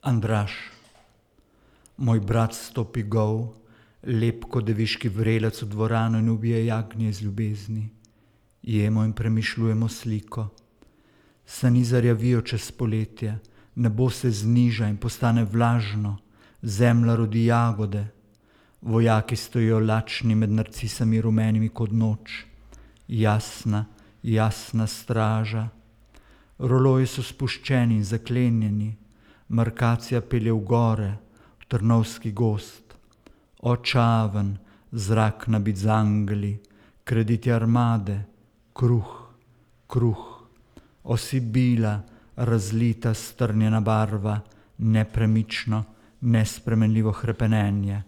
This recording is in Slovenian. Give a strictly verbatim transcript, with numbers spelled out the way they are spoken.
Andraž. Moj brat stopi gol, lep kot deviški vrelec v dvorano in ubije jagnje iz ljubezni. Jemo in premišljujemo sliko. Sani zarjavijo čez poletje, nebo se zniža in postane vlažno, zemlja rodi jagode. Vojaki stojijo lačni med narcisami rumenimi kot noč. Jasna, jasna straža. Roloji so spuščeni in zaklenjeni. Markacija pelje v gore, v Trnovski gozd. Očaven, zrak nabit z angeli, krediti armade, kruh, kruh. O Sibila, razlita strnjena barva, nepremično, nespremenljivo hrepenenje.